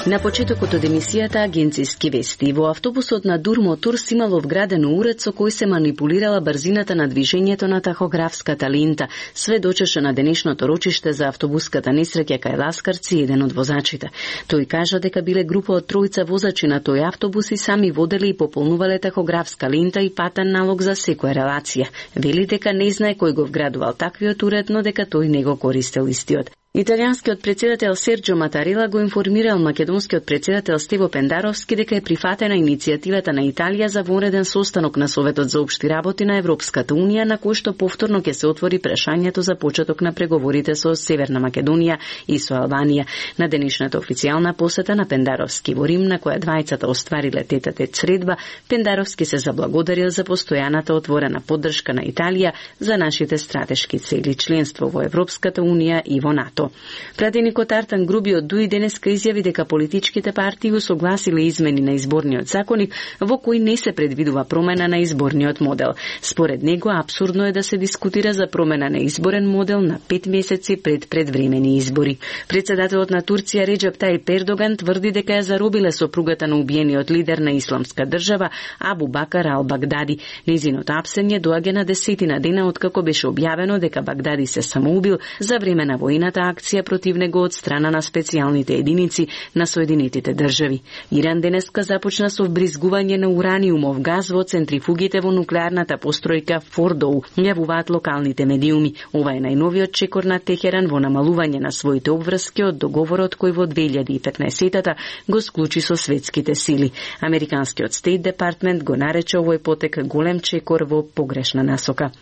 На почетокот од емисијата Агенцијски вести, во автобусот на Дурмотурс имало вградено уред со кој се манипулирала брзината на движењето на тахографската лента. Сведочеше на денешното рочиште за автобуската несреќа кај Ласкарци еден од возачите. Тој кажа дека биле група од тројца возачи на тој автобус и сами воделе и пополнувале тахографска лента и патен налог за секоја релација. Вели дека не знае кој го вградувал таквиот уред, но дека тој не го користел истиот. Италијанскиот председател Серджо Матарела го информирал македонскиот председател Стево Пендаровски дека е прифатена иницијативата на Италија за вонреден состанок на Советот за општи работи на Европската Унија, на кој што повторно ќе се отвори прашањето за почеток на преговорите со Северна Македонија и со Албанија. На денешната официјална посета на Пендаровски во Рим, на која двајцата оствариле тет-а-тет средба, Пендаровски се заблагодарил за постојаната отворена поддршка на Италија за нашите стратешки цели, членство во Европската Унија и во НАТО. Пратеникот Артан Грубиот дуи денеска изјави дека политичките партии усогласиле измени на изборниот законник во кој не се предвидува промена на изборниот модел. Според него апсурдно е да се дискутира за промена на изборен модел на 5 месеци пред предвремени избори. Председателот на Турција Реджеп Тајип Ердоган тврди дека ја заробиле сопругата на убиениот лидер на Исламска држава Абу Бакар ал-Багдади. Незиното апсење доаѓа на 10 дена откако беше објавено дека Багдади се самоубил за време на војната акција против него од страна на специјалните единици на Соединетите држави. Иран денеска започна со вбризгување на ураниумов газ во центрифугите во нуклеарната постројка Фордоу, јавуваат локалните медиуми. Ова е најновиот чекор на Техеран во намалување на своите обврски од договорот кој во 2015-та го склучи со светските сили. Американскиот Стейт Департмент го нарече овој потек голем чекор во погрешна насока.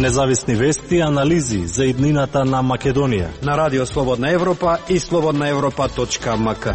Независни вести и анализи за иднината на Македонија на Радио Слободна Европа и slobodnaevropa.mk.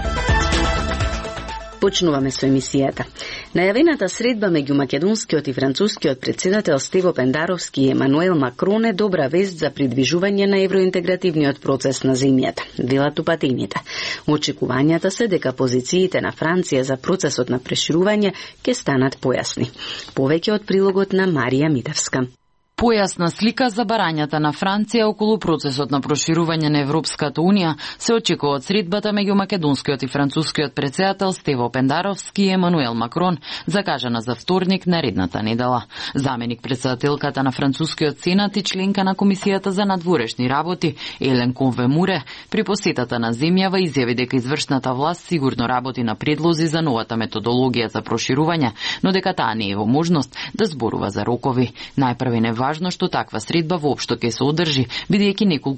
Почнуваме со емисијата. Најавената средба меѓу македонскиот и францускиот председател Стево Пендаровски и Емануел Макрон е добра вест за придвижување на евроинтегративниот процес на земјата, велат упатените. Очекувањата се дека позициите на Франција за процесот на проширување ќе станат појасни. Повеќе од прилогот на Марија Митевска. Појасна слика за барањата на Франција околу процесот на проширување на Европската Унија се очекува од средбата меѓу македонскиот и францускиот председател Стево Пендаровски и Емануел Макрон, закажана за вторник наредната недела. Заменик председателката на францускиот сенат и членка на Комисијата за надворешни работи Елен Конве-Муре при посетата на земјава изјави дека извршната власт сигурно работи на предлози за новата методологија за проширување, но дека таа не е во можност да зборува за рокови. Најпрвен е важно што таква средба воопшто ќе се одржи, бидејќи неколку